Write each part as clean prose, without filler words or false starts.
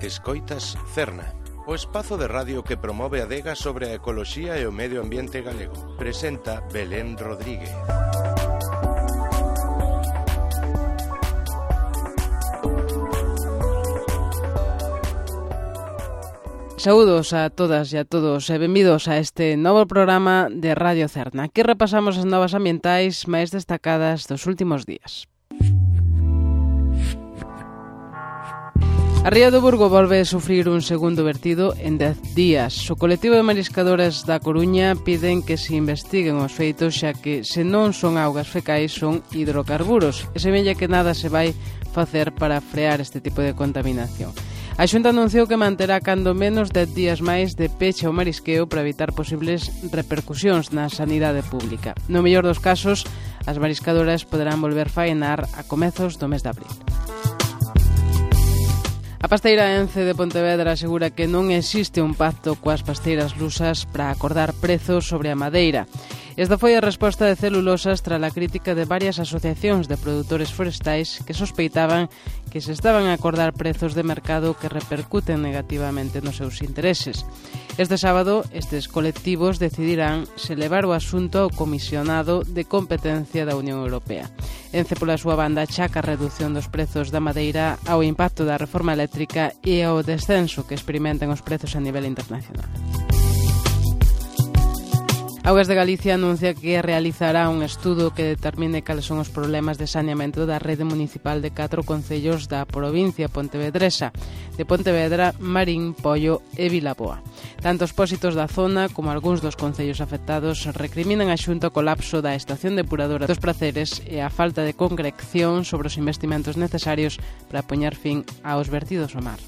Escoitas Cerna, o espazo de radio que promove a adega sobre a ecoloxía e o medio ambiente galego. Presenta Belén Rodríguez. Saúdos a todas e a todos e benvidos a este novo programa de Radio Cerna. Aquí repasamos as novas ambientais máis destacadas dos últimos días. A ría do Burgo volve a sufrir un segundo vertido en 10 días. O colectivo de mariscadores da Coruña piden que se investiguen os feitos, xa que se non son augas fecais son hidrocarburos e semella que nada se vai facer para frear este tipo de contaminación. A Xunta anunciou que manterá cando menos 10 días máis de peche ao marisqueo para evitar posibles repercusións na sanidade pública. No mellor dos casos, as mariscadoras poderán volver faenar a comezos do mes de abril. A pasteira Ence de Pontevedra asegura que non existe un pacto coas pasteiras lusas para acordar prezos sobre a madeira. Esta foi a resposta de Celulosas tras a crítica de varias asociacións de produtores forestais que sospeitaban que se estaban a acordar prezos de mercado que repercuten negativamente nos seus intereses. Este sábado, estes colectivos decidirán se levar o asunto ao Comisionado de Competencia da Unión Europea. Ence, pola súa banda, achaca a reducción dos prezos da madeira ao impacto da reforma eléctrica e ao descenso que experimentan os prezos a nivel internacional. Augas de Galicia anuncia que realizará un estudo que determine cales son os problemas de saneamento da rede municipal de 4 concellos da provincia pontevedresa, de Pontevedra, Marín, Poio e Vilaboa. Tanto os pósitos da zona como algúns dos concellos afectados recriminan a Xunta o colapso da estación depuradora dos Praceres e a falta de concreción sobre os investimentos necesarios para poñer fin aos vertidos ao mar.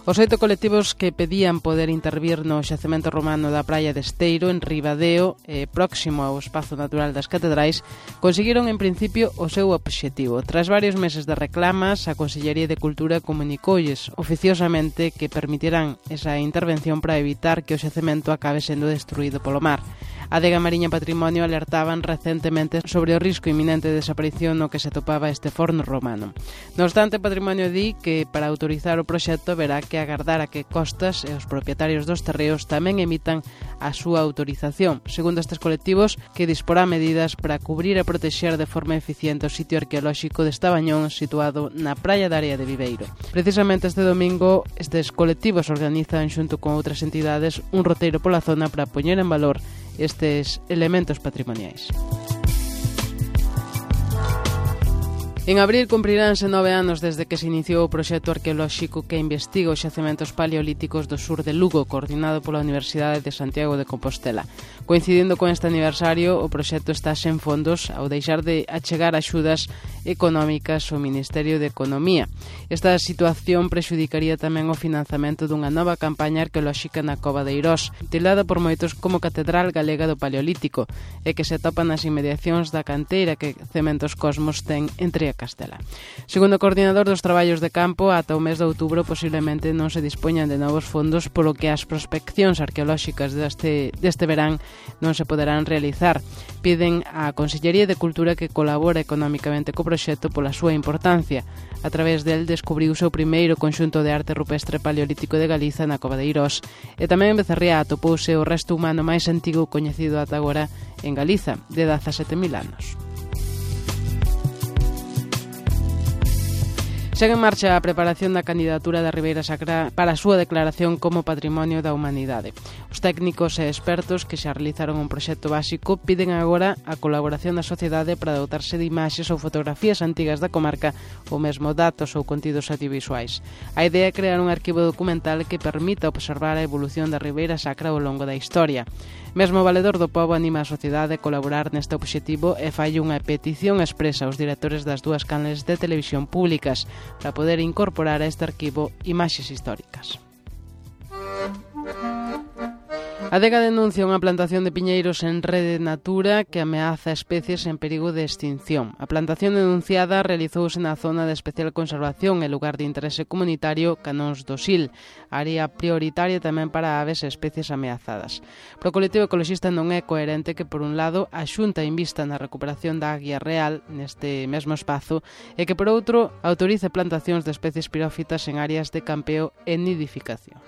Os 8 colectivos que pedían poder intervir no xacemento romano da praia de Esteiro, en Ribadeo, próximo ao espazo natural das Catedrais, conseguiron en principio o seu obxectivo. Tras varios meses de reclamas, a Consellería de Cultura comunicoulles oficiosamente que permitirán esa intervención para evitar que o xacemento acabe sendo destruído polo mar. A Adega Mariña Patrimonio alertaban recentemente sobre o risco inminente de desaparición no que se topaba este forno romano. No obstante, Patrimonio di que para autorizar o proxecto verá que agardar a que Costas e os propietarios dos terreos tamén emitan a súa autorización. Segundo estes colectivos, que disporá medidas para cubrir e protexer de forma eficiente o sitio arqueolóxico de Estabañón, situado na praia da Área de Viveiro. Precisamente este domingo, estes colectivos organizan xunto con outras entidades un roteiro pola zona para poñer en valor estes elementos patrimoniais. En abril cumpriránse 9 anos desde que se iniciou o proxecto arqueolóxico que investiga os xacementos paleolíticos do sur de Lugo, coordinado pola Universidade de Santiago de Compostela. Coincidindo con este aniversario, o proxecto está sen fondos ao deixar de achegar axudas económicas ao Ministerio de Economía. Esta situación prexudicaría tamén o financiamento dunha nova campaña arqueolóxica na Cova de Eirós, tildada por moitos como Catedral Galega do Paleolítico, e que se atopa nas inmediacións da canteira que Cementos Cosmos ten entre Castela. Segundo o coordinador dos traballos de campo, ata o mes de outubro posiblemente non se dispoñan de novos fondos, polo que as prospeccións arqueolóxicas deste verán non se poderán realizar. Piden á Consellería de Cultura que colabore económicamente co proxecto pola súa importancia. A través del descubriuse o primeiro conxunto de arte rupestre paleolítico de Galiza na Cova de Eirós, e tamén en Becerría atopouse o resto humano máis antigo coñecido ata agora en Galiza, de 17.000 anos. Segue en marcha a preparación da candidatura da Ribeira Sacra para a súa declaración como Patrimonio da Humanidade. Os técnicos e expertos que xa realizaron un proxecto básico piden agora a colaboración da sociedade para dotarse de imaxes ou fotografías antigas da comarca ou mesmo datos ou contidos audiovisuais. A idea é crear un arquivo documental que permita observar a evolución da Ribeira Sacra ao longo da historia. Mesmo o Valedor do Pobo anima a sociedade a colaborar neste obxectivo e fai unha petición expresa aos directores das dúas canles de televisión públicas para poder incorporar a este arquivo imaxes históricas. A Adega denuncia unha plantación de piñeiros en Rede Natura que ameaza especies en perigo de extinción. A plantación denunciada realizouse na zona de especial conservación e lugar de interese comunitario Canóns do Sil, área prioritaria tamén para aves e especies ameazadas. Pro colectivo ecoloxista non é coherente que, por un lado, a Xunta invista na recuperación da águia real neste mesmo espazo e que, por outro, autorice plantacións de especies pirófitas en áreas de campeo e nidificación.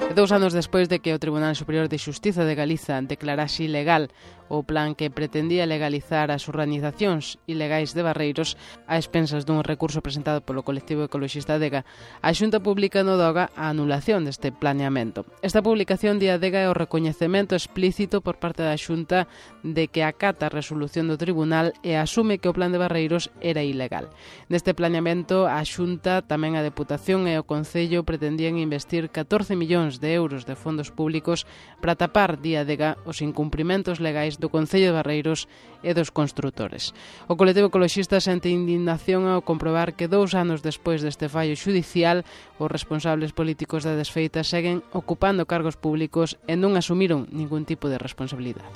2 anos despois de que o Tribunal Superior de Xustiza de Galiza declarase ilegal o plan que pretendía legalizar as urbanizacións ilegais de Barreiros a expensas dun recurso presentado polo colectivo ecoloxista Adega, a Xunta publica no DOGA a anulación deste planeamento. Esta publicación de Adega é o recoñecemento explícito por parte da Xunta de que acata a resolución do Tribunal e asume que o plan de Barreiros era ilegal. Neste planeamento, a Xunta, tamén a Deputación e o Concello pretendían investir 14 millóns de euros de fondos públicos para tapar, di Adega, os incumprimentos legais do Concello de Barreiros e dos construtores. O colectivo ecoloxista sente indignación ao comprobar que 2 anos despois deste fallo xudicial, os responsables políticos da desfeita seguen ocupando cargos públicos e non asumiron ningún tipo de responsabilidade.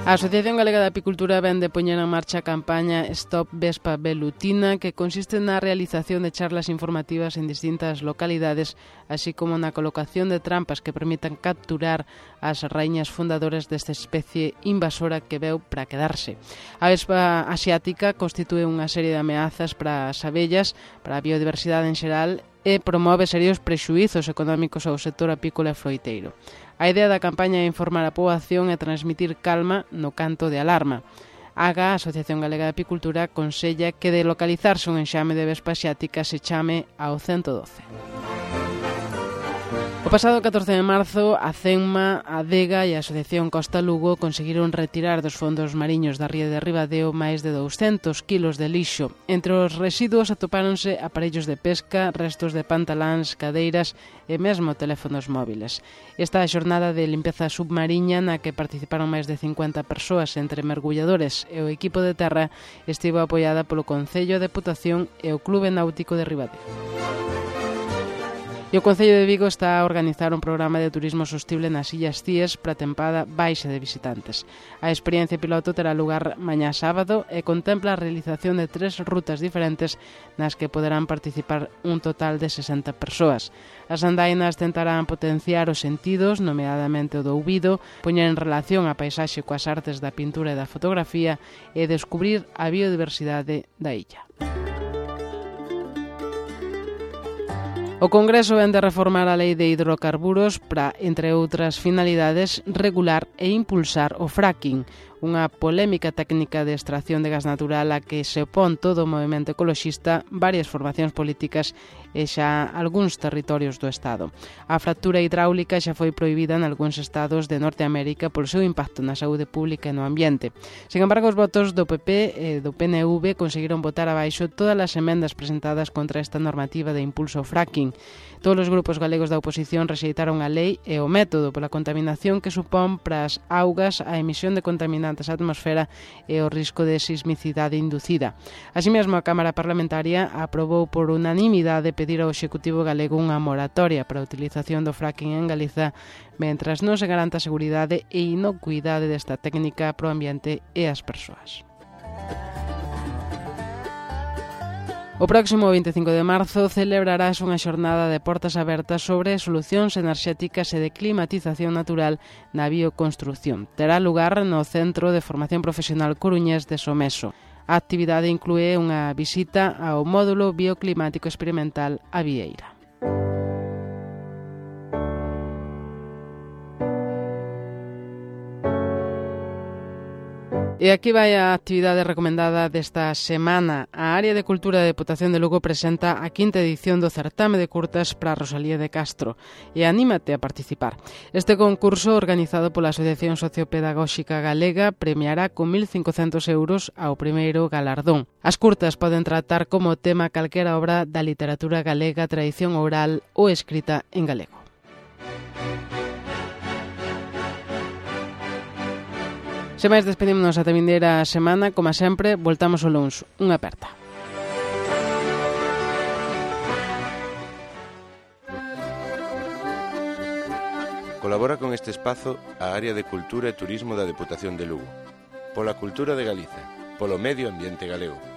A Asociación Galega de Apicultura vén de poñer en marcha a campaña Stop Vespa Velutina, que consiste na realización de charlas informativas en distintas localidades, así como na colocación de trampas que permitan capturar as raíñas fundadoras desta especie invasora que veu para quedarse. A vespa asiática constitúe unha serie de ameazas para as abellas, para a biodiversidade en xeral e promove serios prexuízos económicos ao sector apícola e froiteiro. A idea da campaña é informar a poboación e transmitir calma no canto de alarma. A Asociación Galega de Apicultura aconsella que de localizarse un enxame de vespa asiática se chame ao 112. O pasado 14 de marzo, a CENMA, a Adega e a Asociación Costa Lugo conseguiron retirar dos fondos mariños da ría de Ribadeo máis de 200 kilos de lixo. Entre os residuos atopáronse aparellos de pesca, restos de pantaláns, cadeiras e mesmo teléfonos móviles. Esta xornada de limpeza submarina na que participaron máis de 50 persoas entre mergulladores e o equipo de terra estivo apoiada polo Concello, a Deputación e o Clube Náutico de Ribadeo. E o Concello de Vigo está a organizar un programa de turismo sostible nas Illas Cíes para a tempada baixa de visitantes. A experiencia piloto terá lugar mañá sábado e contempla a realización de 3 rutas diferentes nas que poderán participar un total de 60 persoas. As andainas tentarán potenciar os sentidos, nomeadamente o do ouvido, poñer en relación a paisaxe coas artes da pintura e da fotografía e descubrir a biodiversidade da illa. O Congreso vén de reformar a Lei de Hidrocarburos para, entre outras finalidades, regular e impulsar o fracking, unha polémica técnica de extracción de gas natural a que se opón todo o movemento ecoloxista, varias formacións políticas e xa algúns territorios do Estado. A fractura hidráulica xa foi prohibida en algúns estados de Norteamérica polo seu impacto na saúde pública e no ambiente. Sin embargo, os votos do PP e do PNV conseguiron botar abaixo todas as emendas presentadas contra esta normativa de impulso ao fracking. Todos os grupos galegos da oposición rexeitaron a lei e o método pola contaminación que supón para as augas a emisión de contaminantes á atmosfera e o risco de sismicidade inducida. Así mesmo, a Cámara Parlamentaria aprobou por unanimidade pedir ao Executivo galego unha moratoria para a utilización do fracking en Galiza mentras non se garanta a seguridade e inocuidade desta técnica pro ambiente e as persoas. O próximo 25 de marzo celebrarás unha xornada de portas abertas sobre solucións enerxéticas e de climatización natural na bioconstrucción. Terá lugar no Centro de Formación Profesional Coruñés de Someso. A actividade inclúe unha visita ao módulo bioclimático experimental A Vieira. E aquí vai a actividade recomendada desta semana. A Área de Cultura da Deputación de Lugo presenta a 5ª edición do certame de curtas para Rosalía de Castro e anímate a participar. Este concurso, organizado pola Asociación Sociopedagóxica Galega, premiará con 1.500 euros ao primeiro galardón. As curtas poden tratar como tema calquera obra da literatura galega, tradición oral ou escrita en galego. Sen máis, despedímonos ata vindeira semana. Como sempre, voltamos o luns. Unha aperta. Colabora con este espazo a Área de Cultura e Turismo da Deputación de Lugo. Pola cultura de Galiza, polo medio ambiente galego.